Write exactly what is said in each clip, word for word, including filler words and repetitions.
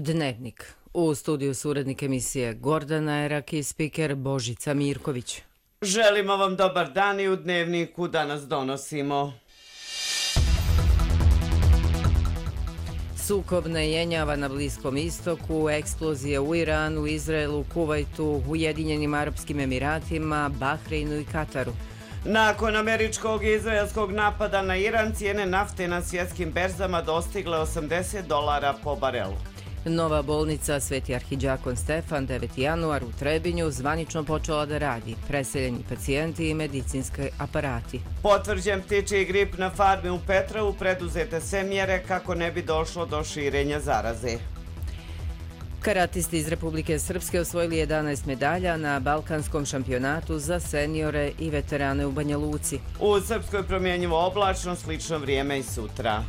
Dnevnik. U studiju su urednik emisije Gordana Erak i spiker Božica Mirković. Želimo vam dobar dan i u Dnevniku danas donosimo. Sukob ne jenjava na Bliskom istoku, eksplozije u Iranu, Izraelu, Kuvajtu, Ujedinjenim Arapskim Emiratima, Bahreinu i Kataru. Nakon američkog i izraelskog napada na Iran, cijene nafte na svjetskim berzama dostigle osamdeset dolara po barelu. Nova bolnica Sveti Arhidžakon Stefan deveti januar u Trebinju zvanično počela da radi, preseljeni pacijenti i medicinski aparati. Potvrđen ptičji grip na farmi u Petrovu, preduzete sve mjere kako ne bi došlo do širenja zaraze. Karatisti iz Republike Srpske osvojili jedanaest medalja na Balkanskom šampionatu za seniore i veterane u Banja Luci. U Srpskoj promjenjivo oblačno, slično vrijeme i sutra.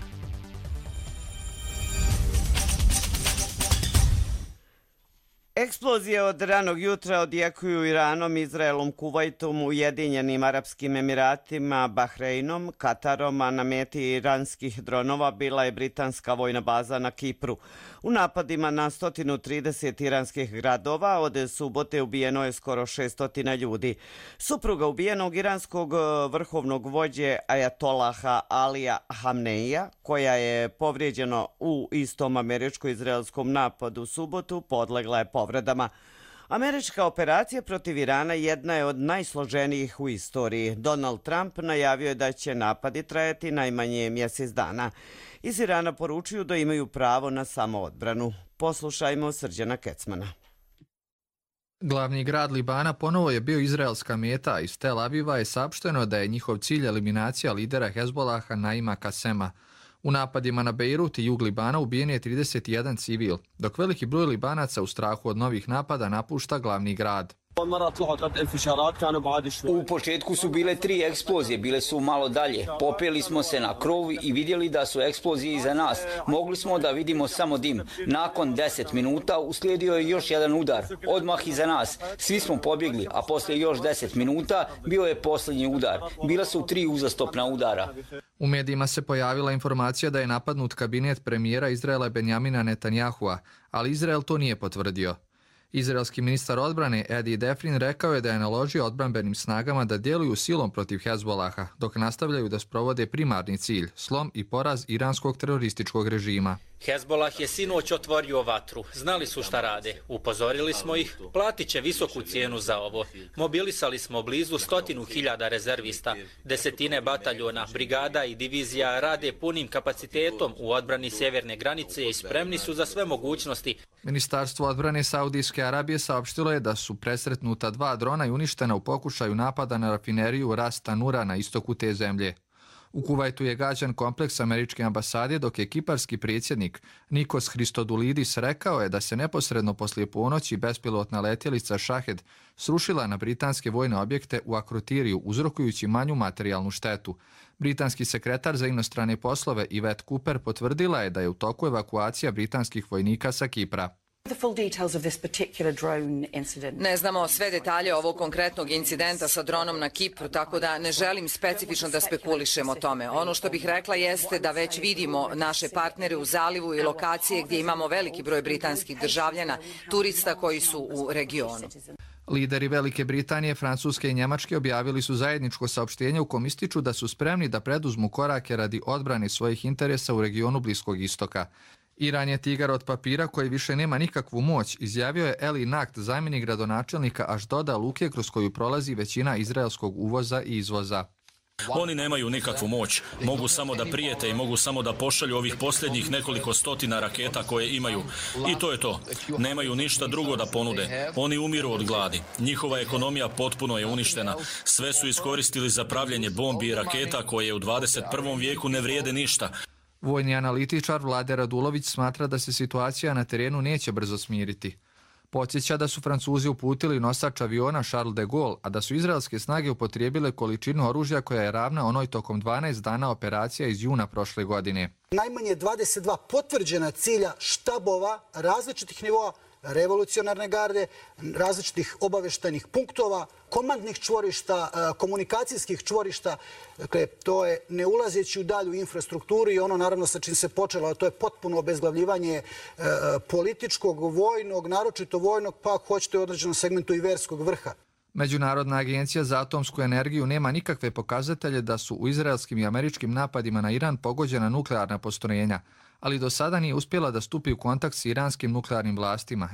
Eksplozije od ranog jutra odjekuju Iranom, Izraelom, Kuvajtom, Ujedinjenim Arapskim Emiratima, Bahreinom, Katarom, a na meti iranskih dronova bila je britanska vojna baza na Kipru. U napadima na sto trideset iranskih gradova od subote ubijeno je skoro šesto ljudi. Supruga ubijenog iranskog vrhovnog vođe ajatolaha Alija Hamneija, koja je povrijeđena u istom američko-izraelskom napadu u subotu, podlegla je povredama. Američka operacija protiv Irana jedna je od najsloženijih u istoriji. Donald Trump najavio je da će napadi trajati najmanje mjesec dana. Iz Irana poručuju da imaju pravo na samoodbranu. Poslušajmo Srđana Kecmana. Glavni grad Libana ponovo je bio izraelska meta. Iz Tel Aviva je saopšteno da je njihov cilj eliminacija lidera Hezbolaha Naima Kasema. U napadima na Bejrut i jug Libana ubijen je trideset jedan civil, dok veliki broj Libanaca u strahu od novih napada napušta glavni grad. U početku su bile tri eksplozije, bile su malo dalje. Popeli smo se na krov i vidjeli da su eksplozije iza nas. Mogli smo da vidimo samo dim. Nakon deset minuta uslijedio je još jedan udar, odmah iza nas. Svi smo pobjegli, a poslije još deset minuta bio je posljednji udar. Bila su tri uzastopna udara. U medijima se pojavila informacija da je napadnut kabinet premijera Izraela Benjamina Netanyahua, ali Izrael to nije potvrdio. Izraelski ministar odbrane Edi Defrin rekao je da je naložio odbrambenim snagama da djeluju silom protiv Hezbolaha, dok nastavljaju da sprovode primarni cilj, slom i poraz iranskog terorističkog režima. Hezbolah je sinoć otvorio vatru. Znali su šta rade. Upozorili smo ih. Platit će visoku cijenu za ovo. Mobilisali smo blizu stotinu hiljada rezervista. Desetine bataljona, brigada i divizija rade punim kapacitetom u odbrani sjeverne granice i spremni su za sve mogućnosti. Ministarstvo odbrane Saudijske Arabije saopštilo je da su presretnuta dva drona i uništena u pokušaju napada na rafineriju Ras Tanura na istoku te zemlje. U Kuvajtu je gađan kompleks američke ambasade, dok je kiparski predsjednik Nikos Christodoulidis rekao je da se neposredno poslije ponoći bespilotna letjelica Shahed srušila na britanske vojne objekte u Akrotiriju, uzrokujući manju materijalnu štetu. Britanski sekretar za inostrane poslove Yvette Cooper potvrdila je da je u toku evakuacija britanskih vojnika sa Kipra. Ne znamo sve detalje ovog konkretnog incidenta sa dronom na Kipru, tako da ne želim specifično da spekulišem o tome. Ono što bih rekla jeste da već vidimo naše partnere u zalivu i lokacije gdje imamo veliki broj britanskih državljana, turista koji su u regionu. Lideri Velike Britanije, Francuske i Njemačke objavili su zajedničko saopštenje u kom ističu da su spremni da preduzmu korake radi odbrane svojih interesa u regionu Bliskog istoka. Iran je tigar od papira koji više nema nikakvu moć, izjavio je Eli Nakt, zamjenik gradonačelnika Ašdoda, luke kroz koju prolazi većina izraelskog uvoza i izvoza. Oni nemaju nikakvu moć, mogu samo da prijete i mogu samo da pošalju ovih posljednjih nekoliko stotina raketa koje imaju. I to je to. Nemaju ništa drugo da ponude. Oni umiru od gladi. Njihova ekonomija potpuno je uništena. Sve su iskoristili za pravljenje bombi i raketa koje u dvadeset prvom vijeku ne vrijede ništa. Vojni analitičar Vlade Radulović smatra da se situacija na terenu neće brzo smiriti. Podsjeća da su Francuzi uputili nosač aviona Charles de Gaulle, a da su izraelske snage upotrijebile količinu oružja koja je ravna onoj tokom dvanaest dana operacija iz juna prošle godine. Najmanje dvadeset dva potvrđena cilja štabova različitih nivoa revolucionarne garde, različitih obaveštajnih punktova, komandnih čvorišta, komunikacijskih čvorišta. Dakle, to je ne ulazeći u dalju infrastrukturu i ono naravno sa čim se počelo, a to je potpuno obezglavljivanje političkog, vojnog, naročito vojnog, pa ako hoćete u određenom segmentu i verskog vrha. Međunarodna agencija za atomsku energiju nema nikakve pokazatelje da su u izraelskim i američkim napadima na Iran pogođena nuklearna postrojenja, ali do sada nije uspjela da stupi u kontakt s iranskim nuklearnim vlastima.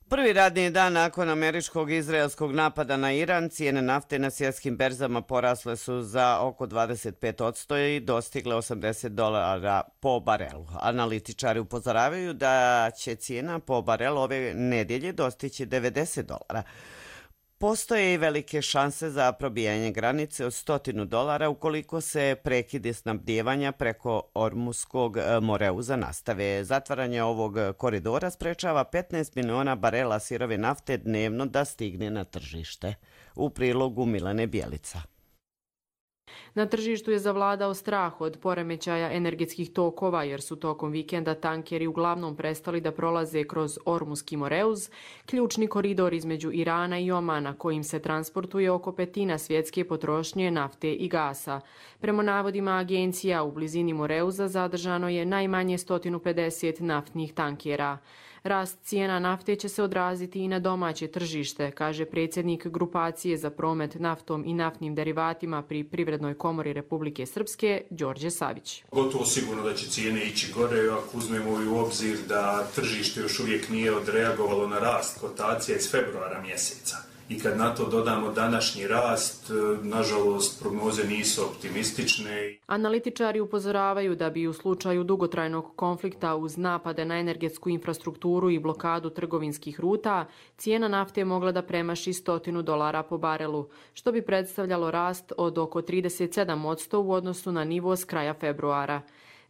Prvi radni dan nakon američkog i izraelskog napada na Iran, cijene nafte na svjetskim berzama porasle su za oko dvadeset pet posto i dostigle osamdeset dolara po barelu. Analitičari upozoravaju da će cijena po barelu ove nedjelje dostići devedeset dolara. Postoje i velike šanse za probijanje granice od stotinu dolara ukoliko se prekidi snabdijevanja preko Ormuskog Moreuza nastave. Zatvaranje ovog koridora sprečava petnaest miliona barela sirove nafte dnevno da stigne na tržište. U prilogu Milane Bjelica. Na tržištu je zavladao strah od poremećaja energetskih tokova jer su tokom vikenda tankeri uglavnom prestali da prolaze kroz Ormuski Moreuz, ključni koridor između Irana i Omana kojim se transportuje oko petina svjetske potrošnje nafte i gasa. Prema navodima agencija u blizini Moreuza zadržano je najmanje sto pedeset naftnih tankera. Rast cijena nafte će se odraziti i na domaće tržište, kaže predsjednik grupacije za promet naftom i naftnim derivatima pri Privrednoj komori Republike Srpske, Đorđe Savić. Gotovo sigurno da će cijene ići gore, ako uzmemo u obzir da tržište još uvijek nije odreagovalo na rast kotacija iz februara mjeseca. I kad na to dodamo današnji rast, nažalost, prognoze nisu optimistične. Analitičari upozoravaju da bi u slučaju dugotrajnog konflikta uz napade na energetsku infrastrukturu i blokadu trgovinskih ruta, cijena nafte mogla da premaši stotinu dolara po barelu, što bi predstavljalo rast od oko trideset sedam posto u odnosu na nivo s kraja februara.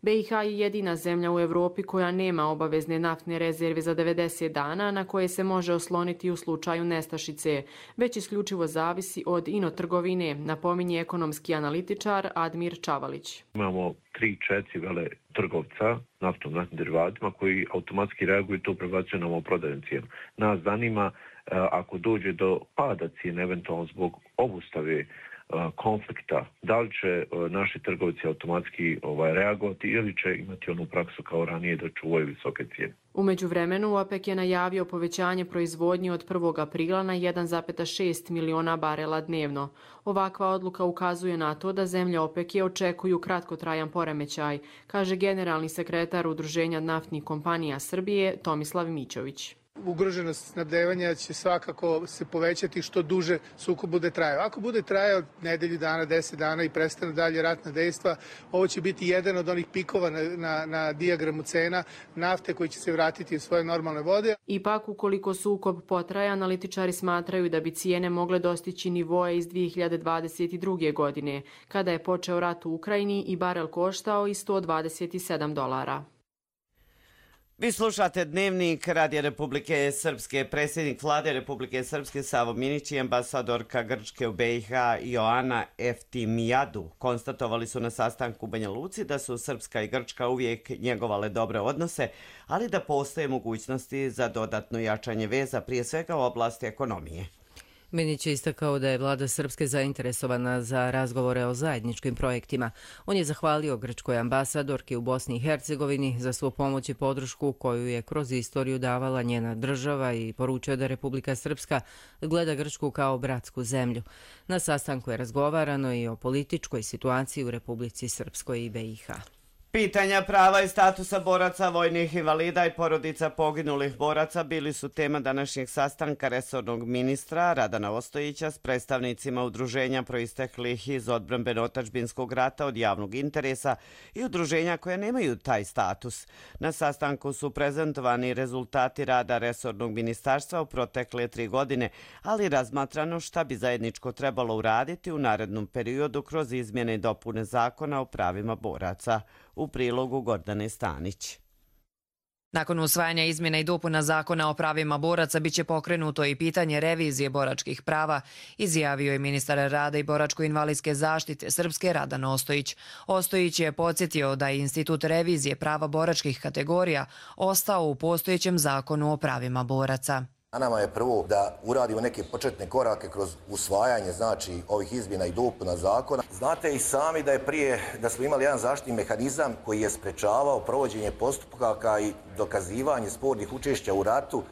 be i ha je jedina zemlja u Evropi koja nema obavezne naftne rezerve za devedeset dana na koje se može osloniti u slučaju nestašice, već isključivo zavisi od inotrgovine, napominje ekonomski analitičar Admir Čavalić. Imamo tri, četiri vele trgovca naftom, naftnim derivatima koji automatski reaguju i to prebacuju nam u prodajnu cijenu. Nas zanima ako dođe do pada cijene, eventualno zbog obustave konflikta, da li će naši trgovci automatski ovaj, reagovati ili će imati onu praksu kao ranije da čuvaju visoke cijene. U međuvremenu OPEC je najavio povećanje proizvodnje od prvog aprila na jedan zarez šest miliona barela dnevno. Ovakva odluka ukazuje na to da zemlje OPEC-a očekuju kratkotrajan poremećaj, kaže generalni sekretar Udruženja naftnih kompanija Srbije Tomislav Mićović. Ugroženost snabdevanja će svakako se povećati što duže sukob bude trajao. Ako bude trajao nedelju dana, deset dana i prestane dalje ratna dejstva, ovo će biti jedan od onih pikova na, na, na dijagramu cena nafte koji će se vratiti u svoje normalne vode. Ipak, ukoliko sukob potraje, analitičari smatraju da bi cijene mogle dostići nivoe iz dvije hiljade dvadeset druge. godine, kada je počeo rat u Ukrajini i barel koštao i sto dvadeset sedam dolara. Vi slušate Dnevnik Radija Republike Srpske. Predsjednik vlade Republike Srpske Savo Minić i ambasadorka Grčke u be i ha Joana Eftimijadu konstatovali su na sastanku u Banja Luci da su Srpska i Grčka uvijek njegovale dobre odnose, ali da postoje mogućnosti za dodatno jačanje veza, prije svega u oblasti ekonomije. Minić je istakao da je vlada Srpske zainteresovana za razgovore o zajedničkim projektima. On je zahvalio grčkoj ambasadorki u Bosni i Hercegovini za svu pomoć i podršku koju je kroz istoriju davala njena država i poručio da Republika Srpska gleda Grčku kao bratsku zemlju. Na sastanku je razgovarano i o političkoj situaciji u Republici Srpskoj i be i ha. Pitanja prava i statusa boraca, vojnih invalida i porodica poginulih boraca bili su tema današnjeg sastanka resornog ministra Radana Ostojića s predstavnicima udruženja proisteklih iz odbrambeno-otadžbinskog rata od javnog interesa i udruženja koje nemaju taj status. Na sastanku su prezentovani rezultati rada resornog ministarstva u protekle tri godine, ali razmatrano šta bi zajedničko trebalo uraditi u narednom periodu kroz izmjene i dopune zakona o pravima boraca. U prilogu Gordane Stanić. Nakon usvajanja izmjena i dopuna zakona o pravima boraca biće pokrenuto i pitanje revizije boračkih prava, izjavio je ministar rada i boračko-invalidske zaštite Srpske Radan Ostojić. Ostojić je podsjetio da je institut revizije prava boračkih kategorija ostao u postojećem zakonu o pravima boraca. A nama je prvo da uradimo neke početne korake kroz usvajanje znači ovih izmjena i dopuna zakona. Znate i sami da je prije da smo imali jedan zaštitni mehanizam koji je sprečavao provođenje postupaka i dokazivanje spornih učešća u ratu,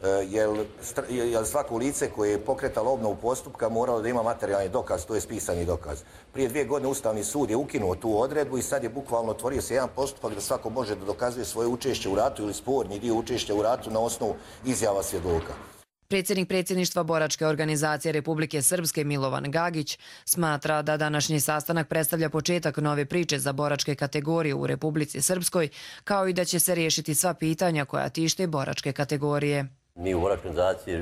jer svako lice koje je pokretalo obnovu postupka moralo da ima materijalni dokaz, to je pisani dokaz. Prije dvije godine Ustavni sud je ukinuo tu odredbu i sad je bukvalno otvorio se jedan postupak da svako može da dokazuje svoje učešće u ratu ili sporni dio učešća u ratu na osnovu izjava svjedoka. Predsjednik predsjedništva boračke organizacije Republike Srpske Milovan Gagić smatra da današnji sastanak predstavlja početak nove priče za boračke kategorije u Republici Srpskoj, kao i da će se riješiti sva pitanja koja tište boračke kategorije. Mi u boračkoj organizaciji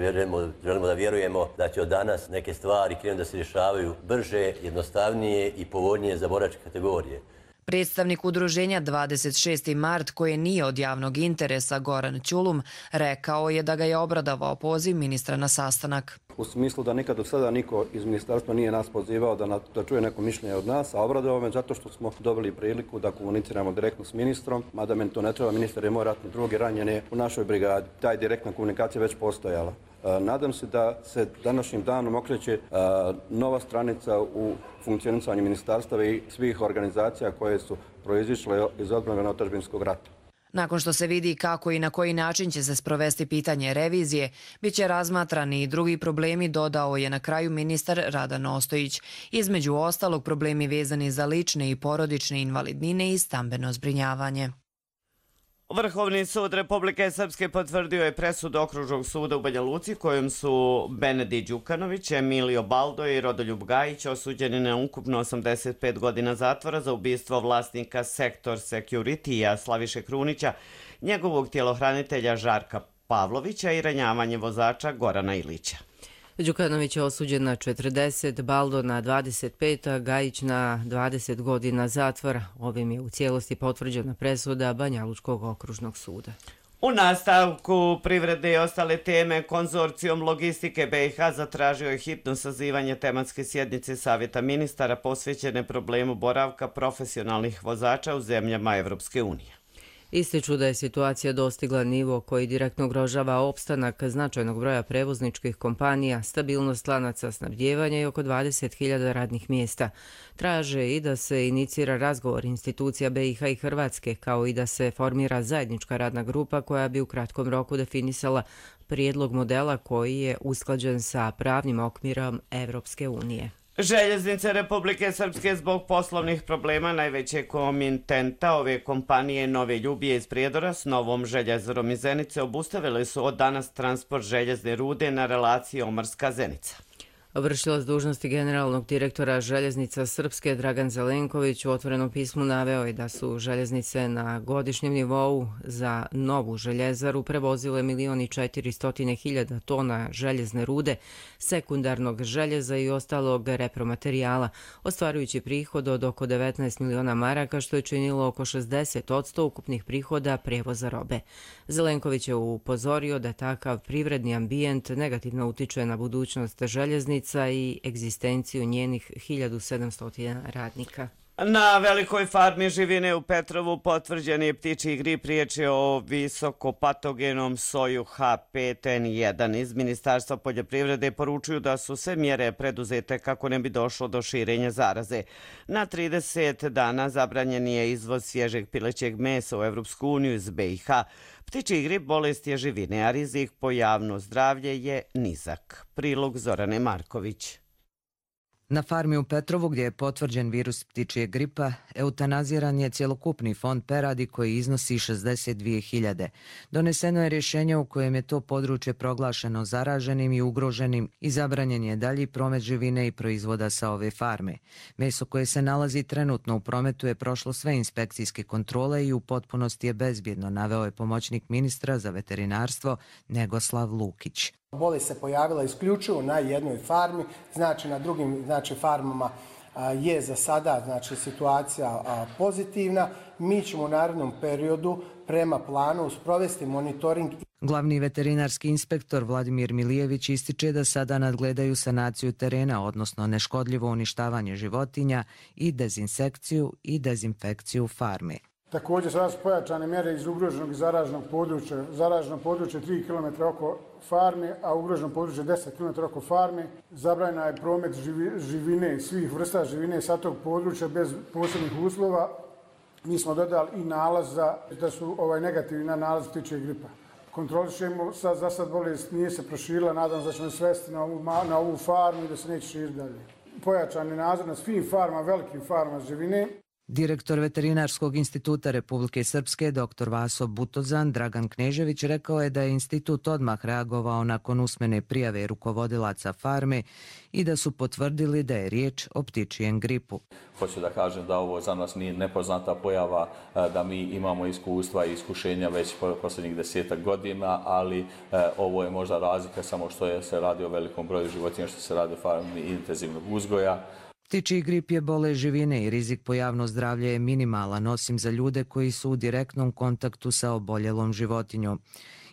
želimo da vjerujemo da će od danas neke stvari krenuti da se rješavaju brže, jednostavnije i povoljnije za boračke kategorije. Predstavnik udruženja dvadeset šesti mart, koje nije od javnog interesa, Goran Ćulum, rekao je da ga je obradovao poziv ministra na sastanak. U smislu da nikad do sada niko iz ministarstva nije nas pozivao da, na, da čuje neko mišljenje od nas, a obradovao me zato što smo dobili priliku da komuniciramo direktno s ministrom, mada meni to ne treba, ministar je moj ratni drug i ranjen je u našoj brigadi. Taj direktna komunikacija već postojala. Nadam se da se današnjim danom okreće nova stranica u funkcionisanju ministarstava i svih organizacija koje su proizišle iz odbrane otadžbinskog rata. Nakon što se vidi kako i na koji način će se sprovesti pitanje revizije, bit će razmatrani i drugi problemi, dodao je na kraju ministar Radan Ostojić. Između ostalog problemi vezani za lične i porodične invalidnine i stambeno zbrinjavanje. Vrhovni sud Republike Srpske potvrdio je presudu Okružnog suda u Banja Luci kojom su Benedi Đukanović, Emilio Baldo i Rodoljub Gajić osuđeni na ukupno osamdeset pet godina zatvora za ubistvo vlasnika Sektor Security-a Slaviše Krunića, njegovog tjelohranitelja Žarka Pavlovića i ranjavanje vozača Gorana Ilića. Đukanović je osuđen na četrdeset, Baldo na dvadeset pet, a Gajić na dvadeset godina zatvora. Ovim je u cijelosti potvrđena presuda Banja Lučkog okružnog suda. U nastavku privrede i ostale teme, konzorcijom logistike B i H zatražio je hitno sazivanje tematske sjednice Savjeta ministara posvećene problemu boravka profesionalnih vozača u zemljama Evropske unije. Ističu da je situacija dostigla nivo koji direktno ugrožava opstanak značajnog broja prevozničkih kompanija, stabilnost lanaca snabdijevanja i oko dvadeset hiljada radnih mjesta. Traže i da se inicira razgovor institucija B i H i Hrvatske, kao i da se formira zajednička radna grupa koja bi u kratkom roku definisala prijedlog modela koji je usklađen sa pravnim okvirom Evropske unije. Željeznice Republike Srpske zbog poslovnih problema najvećeg komitenta ove kompanije Nove Ljubije iz Prijedora s novom željezarom iz Zenice obustavili su od danas transport željezne rude na relaciji Omrska-Zenica. Vršilac dužnosti generalnog direktora Željeznica Srpske Dragan Zelenković u otvorenom pismu naveo je da su željeznice na godišnjem nivou za novu željezaru prevozile milion i četiristotina hiljada tona željezne rude, sekundarnog željeza i ostalog repromaterijala, ostvarujući prihod od oko devetnaest miliona maraka, što je činilo oko šezdeset posto ukupnih prihoda prevoza robe. Zelenković je upozorio da takav privredni ambijent negativno utiče na budućnost željeznice i egzistenciju njenih hiljadu sedamsto radnika. Na velikoj farmi živine u Petrovu potvrđen je ptičji grip, riječ je o visokopatogenom soju H pet N jedan. Iz Ministarstva poljoprivrede poručuju da su sve mjere preduzete kako ne bi došlo do širenja zaraze. Na trideset dana zabranjen je izvoz svježeg pilećeg mesa u Evropsku uniju iz B i H. Ptičji grip bolest je živine, a rizik po javno zdravlje je nizak. Prilog Zorane Marković. Na farmi u Petrovu, gdje je potvrđen virus ptičjeg gripa, eutanaziran je cjelokupni fond peradi koji iznosi šezdeset dvije hiljade. Doneseno je rješenje u kojem je to područje proglašeno zaraženim i ugroženim i zabranjen je dalji promet živine i proizvoda sa ove farme. Meso koje se nalazi trenutno u prometu je prošlo sve inspekcijske kontrole i u potpunosti je bezbjedno, naveo je pomoćnik ministra za veterinarstvo Negoslav Lukić. Bolest se pojavila isključivo na jednoj farmi, znači na drugim znači farmama je za sada znači, situacija pozitivna. Mi ćemo u narednom periodu prema planu sprovesti monitoring. Glavni veterinarski inspektor Vladimir Milijević ističe da sada nadgledaju sanaciju terena, odnosno neškodljivo uništavanje životinja i dezinsekciju i dezinfekciju farme. Također sada su pojačane mjere iz ugroženog i zaraženog područja. Zaraženo područje tri kilometra oko farme, a ugroženo područje deset kilometara oko farme. Zabranjena je promet živine, svih vrsta živine sa tog područja bez posebnih uslova. Mi smo dodali i nalaz za, da su ovaj negativni na nalaz ptičje gripa. Kontrolišemo, sad, za sad bolest nije se proširila, nadam se da ćemo svesti na ovu, na ovu farmu i da se neće širiti dalje. Pojačan je nadzor na svim farmama, velikim farmama živine. Direktor Veterinarskog instituta Republike Srpske, dr Vaso Butozan, Dragan Knežević, rekao je da je institut odmah reagovao nakon usmene prijave rukovodilaca farme i da su potvrdili da je riječ o ptičijem gripu. Hoću da kažem da ovo za nas nije nepoznata pojava, da mi imamo iskustva i iskušenja već posljednjih desetak godina, ali ovo je možda razlika samo što je, se radi o velikom broju životinja, što se radi o farmi intenzivnog uzgoja. Ptičji grip je bolest živine i rizik po javno zdravlje je minimalan, osim za ljude koji su u direktnom kontaktu sa oboljelom životinjom.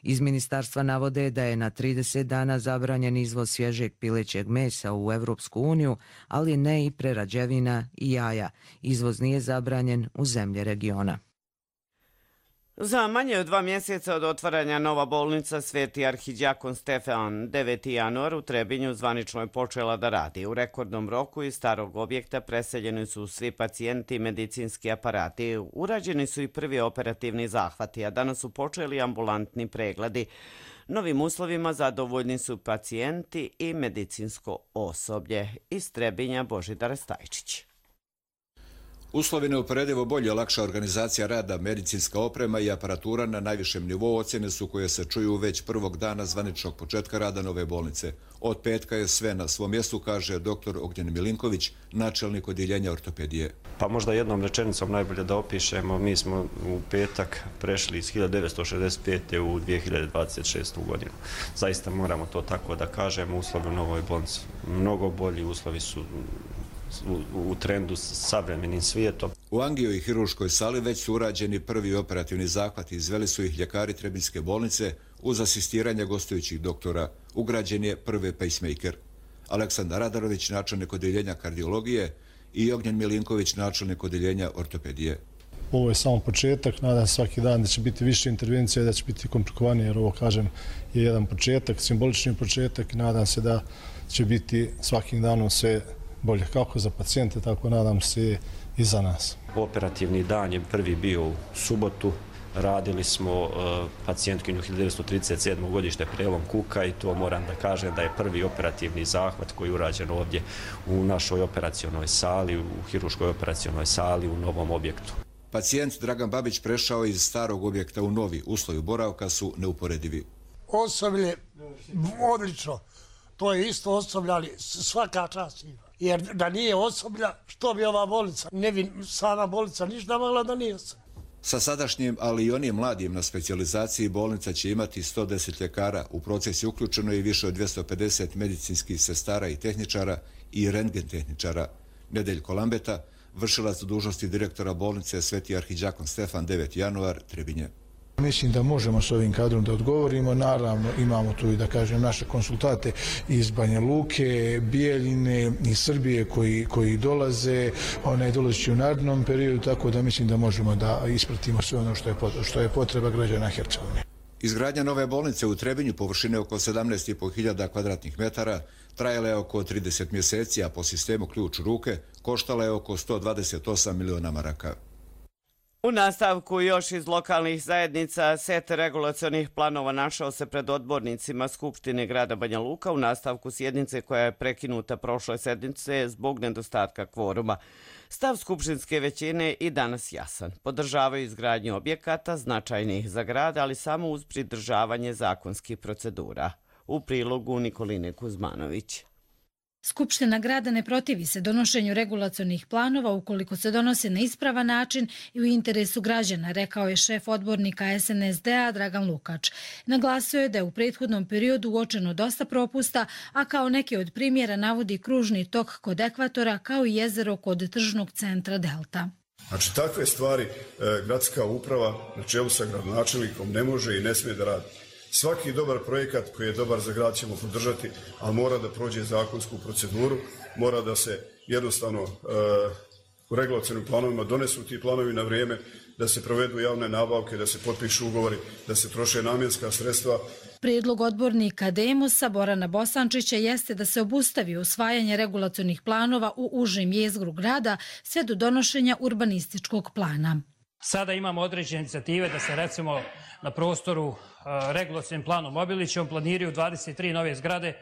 Iz ministarstva navode da je na trideset dana zabranjen izvoz svježeg pilećeg mesa u Evropsku uniju, ali ne i prerađevina i jaja. Izvoz nije zabranjen u zemlje regiona. Za manje od dva mjeseca od otvaranja nova bolnica Sveti arhidjakon Stefan deveti januar u Trebinju zvanično je počela da radi. U rekordnom roku iz starog objekta preseljeni su svi pacijenti i medicinski aparati. Urađeni su i prvi operativni zahvati, a danas su počeli ambulantni pregledi. Novim uslovima zadovoljni su pacijenti i medicinsko osoblje. Iz Trebinja Božidar Stajčić. Uslovi neuporedivo bolje, lakša organizacija rada, medicinska oprema i aparatura na najvišem nivou ocjene su koje se čuju već prvog dana zvaničnog početka rada nove bolnice. Od petka je sve na svom mjestu, kaže doktor Ognjen Milinković, načelnik odjeljenja ortopedije. Pa možda jednom rečenicom najbolje da opišemo, mi smo u petak prešli iz hiljadu devetsto šezdeset pete. u dvije hiljade dvadeset šestu. godinu. Zaista moramo to tako da kažemo, uslovi u novoj bolnici mnogo bolji, uslovi su u trendu s savremenim svijetom. U angio i hiruškoj sali već su urađeni prvi operativni zahvati. Izveli su ih ljekari Trebinjske bolnice uz asistiranje gostujućih doktora. Ugrađen je prvi pacemaker. Aleksandar Radarović, načelnik odjeljenja kardiologije, i Ognjen Milinković, načelnik odjeljenja ortopedije. Ovo je samo početak, nadam se svaki dan da će biti više intervencija i da će biti komplikovanije, jer ovo, kažem, je jedan početak, simbolični početak i nadam se da će biti svakim danom sve bolje kako za pacijente, tako nadam se i za nas. Operativni dan je prvi bio u subotu. Radili smo uh, pacijentkinju hiljadu devetsto trideset sedme. godište prelom kuka i to moram da kažem da je prvi operativni zahvat koji je urađen ovdje u našoj operacionoj sali, u hiruškoj operacionoj sali u novom objektu. Pacijent Dragan Babić prešao iz starog objekta u novi. Uslovi boravka su neuporedivi. Osoblje odlično. To je isto osoblje, ali svaka čast ima. Jer da nije osoblja, što bi ova bolnica? Ne bi sama bolnica ništa mogla da nije osoblja. Sa sadašnjim, ali i onim mladim na specijalizaciji, bolnica će imati sto deset ljekara. U proces je uključeno i više od dvjesto pedeset medicinskih sestara i tehničara i rentgen tehničara. Nedeljko Lambeta, vršilac dužnosti direktora bolnice Sveti arhidjakon Stefan deveti januar, Trebinje. Mislim da možemo s ovim kadrom da odgovorimo. Naravno, imamo tu i da kažem naše konsultate iz Banja Luke, Bijeljine i Srbije koji, koji dolaze, one dolazeći u narednom periodu, tako da mislim da možemo da ispratimo sve ono što je, što je potreba građana Hercegovine. Izgradnja nove bolnice u Trebinju površine oko sedamnaest i pol hiljada kvadratnih metara trajala je oko trideset mjeseci, a po sistemu ključ u ruke koštala je oko sto dvadeset osam miliona maraka. U nastavku još iz lokalnih zajednica set regulacionih planova našao se pred odbornicima Skupštine grada Banja Luka u nastavku sjednice koja je prekinuta prošle sedmice zbog nedostatka kvoruma. Stav skupštinske većine i danas jasan. Podržavaju izgradnju objekata značajnih za grad, ali samo uz pridržavanje zakonskih procedura. U prilogu Nikoline Kuzmanović. Skupština grada ne protivi se donošenju regulacionih planova ukoliko se donose na ispravan način i u interesu građana, rekao je šef odbornika S N S D-a Dragan Lukač. Naglasio je da je u prethodnom periodu uočeno dosta propusta, a kao neke od primjera navodi kružni tok kod ekvatora kao i jezero kod tržnog centra Delta. Znači, takve stvari e, gradska uprava na čelu sa gradonačelnikom ne može i ne smije da radi. Svaki dobar projekat koji je dobar za grad ćemo podržati, ali mora da prođe zakonsku proceduru, mora da se jednostavno e, u regulacionim planovima donesu ti planovi na vrijeme, da se provedu javne nabavke, da se potpišu ugovori, da se troše namjenska sredstva. Prijedlog odbornika Demosa Borana Bosančića jeste da se obustavi usvajanje regulacionih planova u užem jezgru grada sve do donošenja urbanističkog plana. Sada imamo određene inicijative da se recimo na prostoru regulacionim planom Obilićem planiraju dvadeset tri nove zgrade,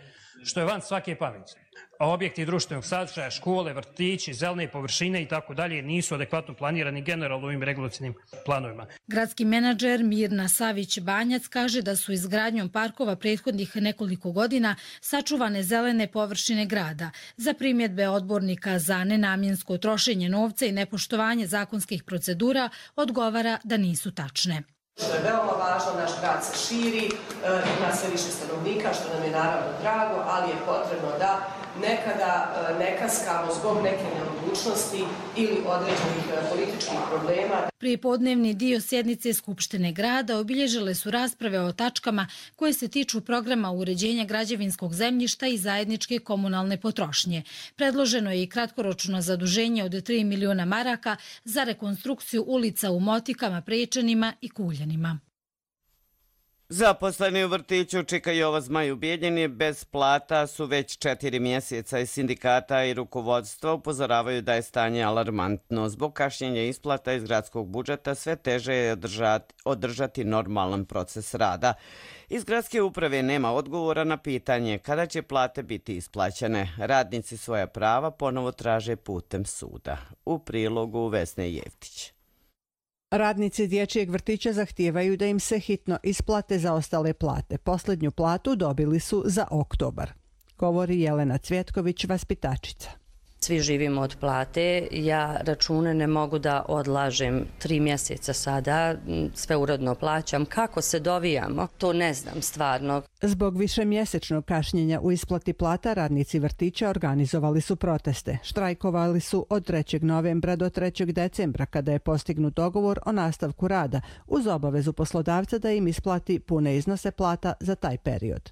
što je van svake pameti. A objekti društvenog sadržaja, škole, vrtići, zelene površine i tako dalje nisu adekvatno planirani generalno ovim regulacionim planovima. Gradski menadžer Mirna Savić-Banjac kaže da su izgradnjom parkova prethodnih nekoliko godina sačuvane zelene površine grada. Za primjedbe odbornika za nenamjensko trošenje novca i nepoštovanje zakonskih procedura odgovara da nisu tačne. Što je veoma važno, naš grad se širi, ima sve više stanovnika, što nam je naravno drago, ali je potrebno da nekada ne kaskamo zbog neke neodlučnosti ili određenih političkih problema. Prijepodnevni dio sjednice Skupštine grada obilježile su rasprave o tačkama koje se tiču programa uređenja građevinskog zemljišta i zajedničke komunalne potrošnje. Predloženo je i kratkoročno zaduženje od tri miliona maraka za rekonstrukciju ulica u Motikama, Prečanima i Kuljanima. Zaposleni u vrtiću Čika Jova Zmaj u Bijeljini bez plata su već četiri mjeseca i sindikata i rukovodstva upozoravaju da je stanje alarmantno. Zbog kašnjenja isplata iz gradskog budžeta sve teže je održati, održati normalan proces rada. Iz gradske uprave nema odgovora na pitanje kada će plate biti isplaćene. Radnici svoja prava ponovo traže putem suda. U prilogu Vesne Jevtić. Radnici dječjeg vrtića zahtijevaju da im se hitno isplate zaostale plate. Posljednju platu dobili su za oktobar, govori Jelena Cvjetković, vaspitačica. Svi živimo od plate, ja račune ne mogu da odlažem tri mjeseca sada, sve uredno plaćam. Kako se dovijamo, to ne znam stvarno. Zbog višemjesečnog kašnjenja u isplati plata, radnici vrtića organizovali su proteste. Štrajkovali su od trećeg novembra do trećeg decembra, kada je postignut dogovor o nastavku rada, uz obavezu poslodavca da im isplati pune iznose plata za taj period.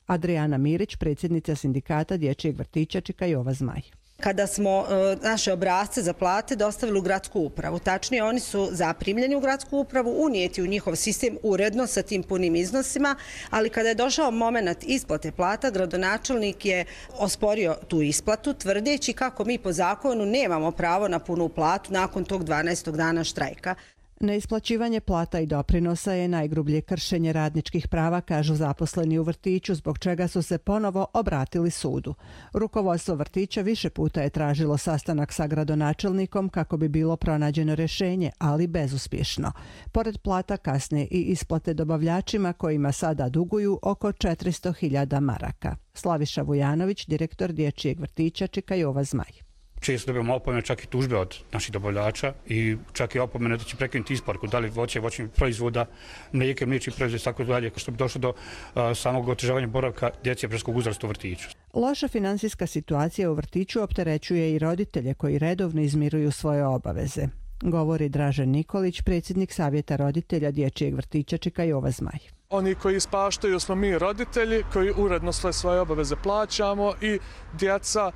Adriana Mirić, predsjednica sindikata dječjeg vrtića Čika Jova Zmaj. Kada smo e, naše obrazce za plate dostavili u gradsku upravu. Tačnije, oni su zaprimljeni u gradsku upravu, unijeti u njihov sistem uredno sa tim punim iznosima, ali kada je došao moment isplate plata, gradonačelnik je osporio tu isplatu, tvrdeći kako mi po zakonu nemamo pravo na punu platu nakon tog dvanaestog dana štrajka. Neisplaćivanje plata i doprinosa je najgrublje kršenje radničkih prava, kažu zaposleni u vrtiću, zbog čega su se ponovo obratili sudu. Rukovodstvo vrtića više puta je tražilo sastanak sa gradonačelnikom kako bi bilo pronađeno rješenje, ali bezuspješno. Pored plata kasne i isplate dobavljačima kojima sada duguju oko četiristo hiljada maraka. Slaviša Vujanović, direktor dječjeg vrtića Čika Jova Zmaj. Često dobijamo opomene, čak i tužbe od naših dobavljača i čak i opomene da će prekinuti isporuku, da li voće, voćnih proizvoda, mlijeke, mliječnih proizvoda, tako dalje, što bi došlo do uh, samog otežavanja boravka djece predškolskog uzrasta u vrtiću. Loša finansijska situacija u vrtiću opterećuje i roditelje koji redovno izmiruju svoje obaveze, govori Dražen Nikolić, predsjednik Savjeta roditelja dječjeg vrtića Čika Jova Zmaj. Oni koji ispaštaju smo mi roditelji, koji uredno sve svoje obaveze plaćamo i djeca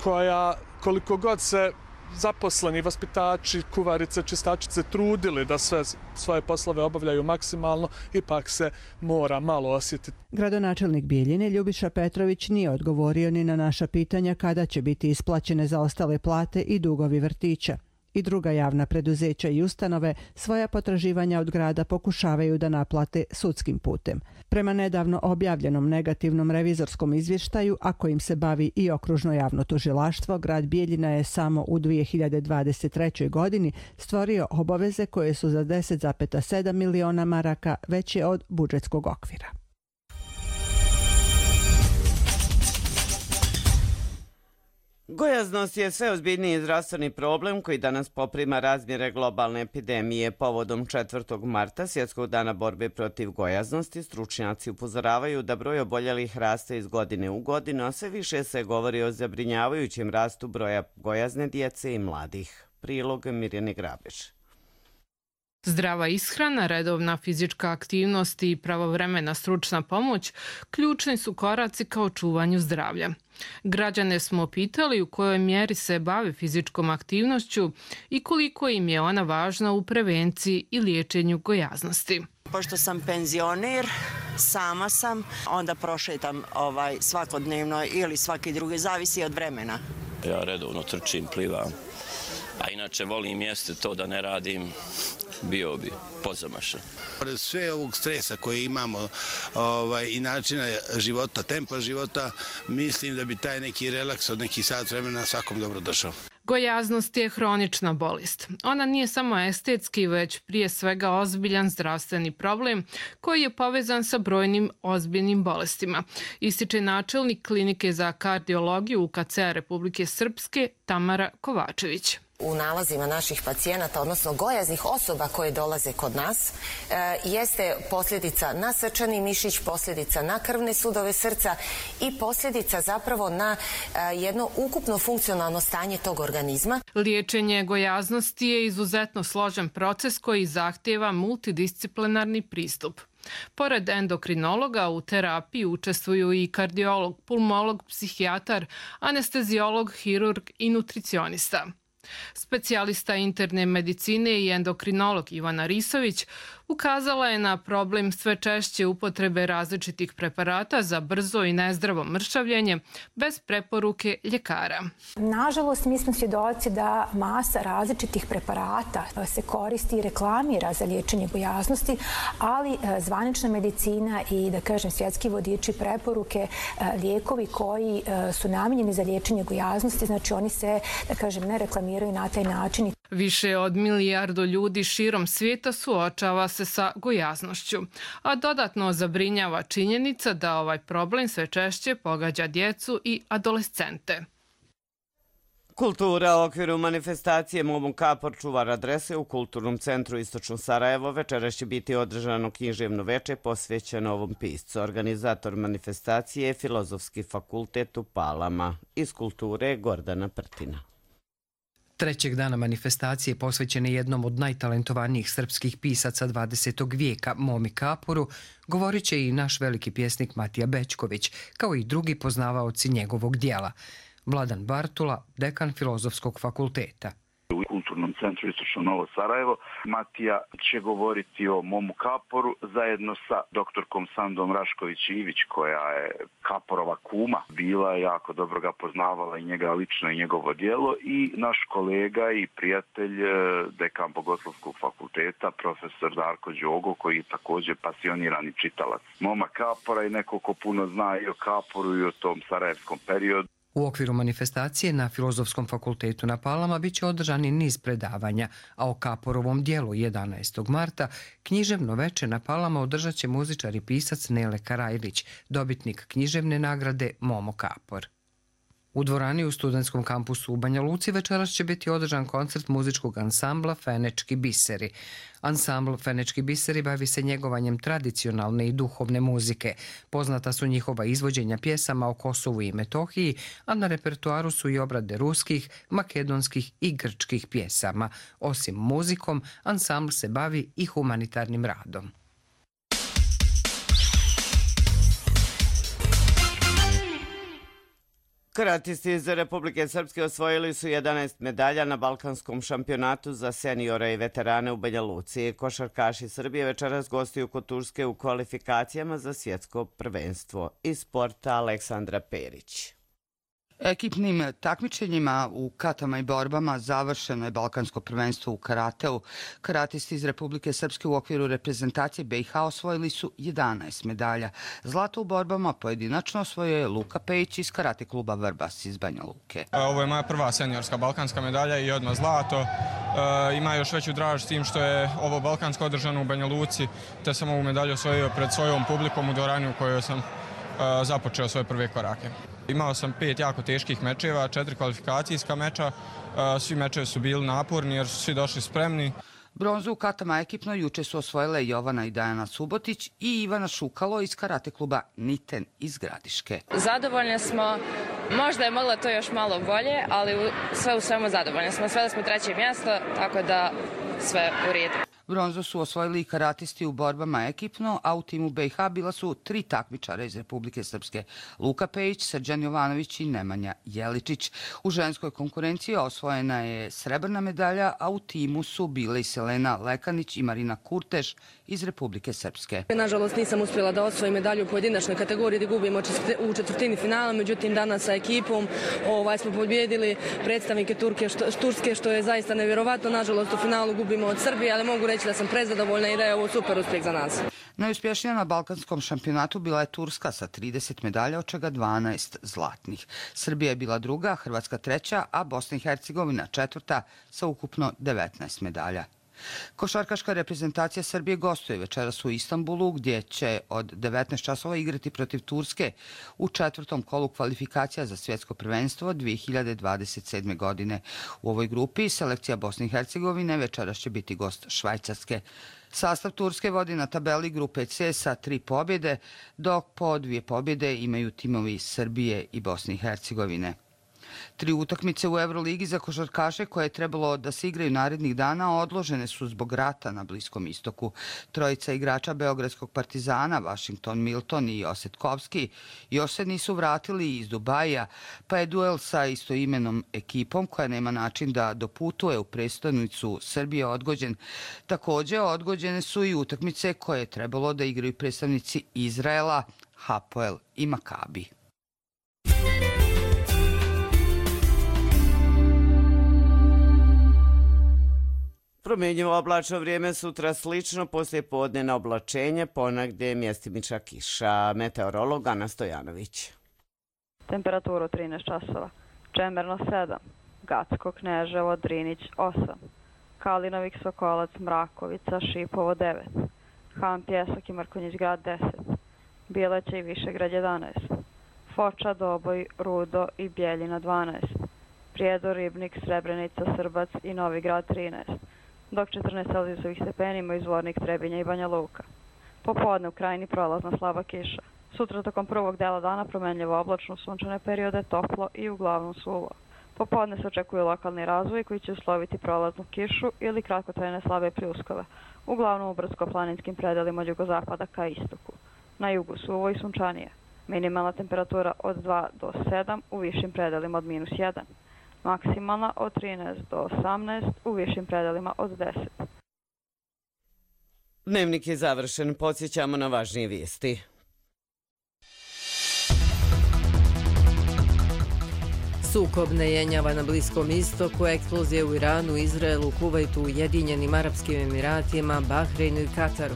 koja koliko god se zaposleni, vaspitači, kuvarice, čistačice trudili da sve svoje poslove obavljaju maksimalno, ipak se mora malo osjetiti. Gradonačelnik Bijeljine Ljubiša Petrović nije odgovorio ni na naša pitanja kada će biti isplaćene zaostale plate i dugovi vrtića. I druga javna preduzeća i ustanove svoja potraživanja od grada pokušavaju da naplate sudskim putem. Prema nedavno objavljenom negativnom revizorskom izvještaju, a kojim se bavi i okružno javno tužilaštvo, grad Bijeljina je samo u dvije hiljade dvadeset trećoj. godini stvorio obaveze koje su za deset zarez sedam miliona maraka veće od budžetskog okvira. Gojaznost je sve ozbiljniji zdravstveni problem koji danas poprima razmjere globalne epidemije. Povodom četvrtog marta, Svjetskog dana borbe protiv gojaznosti, stručnjaci upozoravaju da broj oboljelih raste iz godine u godinu, a sve više se govori o zabrinjavajućem rastu broja gojazne djece i mladih. Prilog Mirjane Grabež. Zdrava ishrana, redovna fizička aktivnost i pravovremena stručna pomoć ključni su koraci ka očuvanju zdravlja. Građane smo pitali u kojoj mjeri se bave fizičkom aktivnošću i koliko im je ona važna u prevenciji i liječenju gojaznosti. Pošto sam penzioner, sama sam, onda prošetam ovaj, svakodnevno ili svaki drugi, zavisi od vremena. Ja redovno trčim, plivam, a inače volim jeste to da ne radim, bio bi pozamašan. Sve ovog stresa koje imamo ovaj, i načina života, tempa života, mislim da bi taj neki relaks od neki sat vremena svakom dobro došao. Gojaznost je hronična bolest. Ona nije samo estetski, već prije svega ozbiljan zdravstveni problem koji je povezan sa brojnim ozbiljnim bolestima, ističe načelnik klinike za kardiologiju U K C-a Republike Srpske Tamara Kovačević. U nalazima naših pacijenata, odnosno gojaznih osoba koje dolaze kod nas, jeste posljedica na srčani mišić, posljedica na krvne sudove srca i posljedica zapravo na jedno ukupno funkcionalno stanje tog organizma. Liječenje gojaznosti je izuzetno složen proces koji zahtijeva multidisciplinarni pristup. Pored endokrinologa u terapiji učestvuju i kardiolog, pulmolog, psihijatar, anesteziolog, hirurg i nutricionista. Specijalista interne medicine i endokrinolog Ivana Risović ukazala je na problem sve češće upotrebe različitih preparata za brzo i nezdravo mršavljenje bez preporuke ljekara. Nažalost, mi smo svjedoci da masa različitih preparata se koristi i reklamira za liječenje gojaznosti, ali zvanična medicina i, da kažem, svjetski vodiči preporuke, lijekovi koji su namijenjeni za liječenje gojaznosti, znači oni se, da kažem, ne reklamiraju na taj način. Više od milijardu ljudi širom svijeta suočava se sa gojaznošću, a dodatno zabrinjava činjenica da ovaj problem sve češće pogađa djecu i adolescente. Kultura u okviru manifestacije Momo Kapor čuvar adrese u Kulturnom centru Istočno Sarajevo večeras će biti održano književno veče posvećeno ovom piscu. Organizator manifestacije je Filozofski fakultet u Palama. Iz kulture Gordana Prtina. Trećeg dana manifestacije posvećene jednom od najtalentovanijih srpskih pisaca dvadesetog vijeka, Momi Kaporu, govorit će i naš veliki pjesnik Matija Bećković, kao i drugi poznavaoci njegovog dijela. Vladan Bartula, dekan Filozofskog fakulteta. U Kulturnom centru Istočno Novo Sarajevo Matija će govoriti o Momu Kaporu zajedno sa doktorkom Sandom Rašković-Ivić, koja je Kaporova kuma, bila jako dobro ga poznavala i njega lično i njegovo djelo, i naš kolega i prijatelj, dekan Bogoslovskog fakulteta, profesor Darko Đogo, koji je također pasionirani čitalac Moma Kapora i neko ko puno zna i o Kaporu i o tom sarajevskom periodu. U okviru manifestacije na Filozofskom fakultetu na Palama bit će održani niz predavanja, a o Kaporovom dijelu jedanaestog marta književno veče na Palama održat će muzičar i pisac Nele Karajlić, dobitnik književne nagrade Momo Kapor. U dvorani u studentskom kampusu u Banja Luci večeras će biti održan koncert muzičkog ansambla Fenečki biseri. Ansambl Fenečki biseri bavi se njegovanjem tradicionalne i duhovne muzike. Poznata su njihova izvođenja pjesama o Kosovu i Metohiji, a na repertuaru su i obrade ruskih, makedonskih i grčkih pjesama. Osim muzikom, ansambl se bavi i humanitarnim radom. Karatisti iz Republike Srpske osvojili su jedanaest medalja na Balkanskom šampionatu za seniore i veterane u Banja Luci. Košarkaši Srbije večeras gostuju kod Turske u kvalifikacijama za svjetsko prvenstvo. Iz sporta Aleksandra Perić. Ekipnim takmičenjima u katama i borbama završeno je Balkansko prvenstvo u karateu. Karatisti iz Republike Srpske u okviru reprezentacije B i H osvojili su jedanaest medalja. Zlato u borbama pojedinačno osvojio je Luka Pejić iz karate kluba Vrbas iz Banja Luke. Ovo je moja prva seniorska balkanska medalja i odmah zlato. E, ima još veću draž s tim što je ovo balkansko održano u Banja Luci, te sam ovu medalju osvojio pred svojom publikom u dvorani u kojoj sam započeo svoje prve korake. Imao sam pet jako teških mečeva, četiri kvalifikacijska meča, svi mečevi su bili naporni jer su svi došli spremni. Bronzu u katama ekipno juče su osvojile Jovana i Dajana Subotić i Ivana Šukalo iz karate kluba Niten iz Gradiške. Zadovoljni smo, možda je moglo to još malo bolje, ali sve u svemu zadovoljni smo. Sveli smo treće mjesto, tako da sve u redu. Bronzu su osvojili i karatisti u borbama ekipno, a u timu B i H bila su tri takmičara iz Republike Srpske. Luka Pejić, Srđan Jovanović i Nemanja Jeličić. U ženskoj konkurenciji osvojena je srebrna medalja, a u timu su bile i Selena Lekanić i Marina Kurtež iz Republike Srpske. Nažalost nisam uspjela da osvojim medalju u pojedinačnoj kategoriji gdje gubimo u četvrtini finala, međutim danas sa ekipom ovaj, smo pobjedili predstavnike Turke, što, Turske, što je zaista nevjerovatno. Nažalost u finalu gubimo od Srbije, ali mogu reći da sam prezadovoljna i da je ovo super uspjeh za nas. Najuspješnija na balkanskom šampionatu bila je Turska sa trideset medalja, od čega dvanaest zlatnih. Srbija je bila druga, Hrvatska treća, a Bosna i Hercegovina četvrta sa ukupno devetnaest medalja. Košarkaška reprezentacija Srbije gostuje večeras u Istanbulu, gdje će od devetnaest časova igrati protiv Turske u četvrtom kolu kvalifikacija za svjetsko prvenstvo dvije hiljade dvadeset sedme. godine. U ovoj grupi selekcija Bosne i Hercegovine večeras će biti gost Švajcarske. Sastav Turske vodi na tabeli grupe C sa tri pobjede, dok po dvije pobjede imaju timovi Srbije i Bosne i Hercegovine. Tri utakmice u Euroligi za košarkaše koje je trebalo da se igraju narednih dana odložene su zbog rata na Bliskom istoku. Trojica igrača Beogradskog Partizana, Washington Milton i Osetkovski, još se nisu vratili iz Dubaja, pa je duel sa istoimenom ekipom koja nema način da doputuje u prestonicu Srbije odgođen. Također odgođene su i utakmice koje je trebalo da igraju predstavnici Izraela, Hapoel i Makabi. Promjenjivo oblačno vrijeme, sutra slično, poslije podnevno oblačenje, ponegdje mjestimična kiša. Meteorolog Ana Stojanović. Temperaturu trinaest časova. Čemerno sedam, Gacko, Kneževo, Drinić osam, Kalinovik, Sokolac, Mrakovica, Šipovo devet, Han, Pjesak i Mrkonjić grad deset, Bileće i Višegrad jedanaest, Foča, Doboj, Rudo i Bjeljina dvanaest, Prijedor, Ribnik, Srebrenica, Srbac i Novi grad trinaest, dok četrnaest celzijusovih stepeni imaju Zvornik, Trebinja i Banja Luka. Popodne u krajini prolazna slaba kiša. Sutra tokom prvog dela dana promenljivo oblačno, sunčane periode, toplo i uglavnom suvo. Popodne se očekuje lokalni razvoj koji će usloviti prolaznu kišu ili kratkotrajne slabe pljuskove, uglavnom u brdsko-planinskim predelima od jugozapada ka istoku. Na jugu suvo i sunčanije. Minimalna temperatura od dva do sedam, u višim predelima od minus jedan. Maksimalna od trinaest do osamnaest, u višim predelima od deset. Dnevnik je završen, podsjećamo na važnije vijesti. Sukob ne jenjava na Bliskom istoku, eksplozije u Iranu, Izraelu, Kuvajtu, Ujedinjenim Arapskim Emiratima, Bahreinu i Kataru.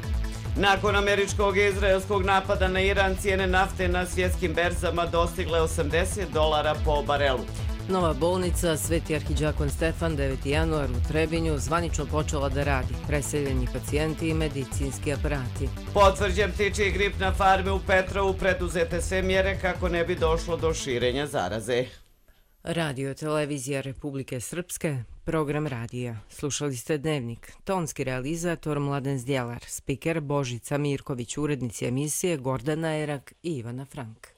Nakon američkog i izraelskog napada na Iran, cijene nafte na svjetskim berzama dostigle osamdeset dolara po barelu. Nova bolnica Sveti Arhidžakon Stefan deveti januar u Trebinju zvanično počela da radi. Preseljeni pacijenti i medicinski aparati. Potvrđen ptičji grip na farmi u Petrovu, preduzete sve mjere kako ne bi došlo do širenja zaraze. Radio televizija Republike Srpske, program radija. Slušali ste Dnevnik. Tonski realizator Mladen Zdjelar, spiker Božica Mirković, urednici emisije Gordana Erak i Ivana Frank.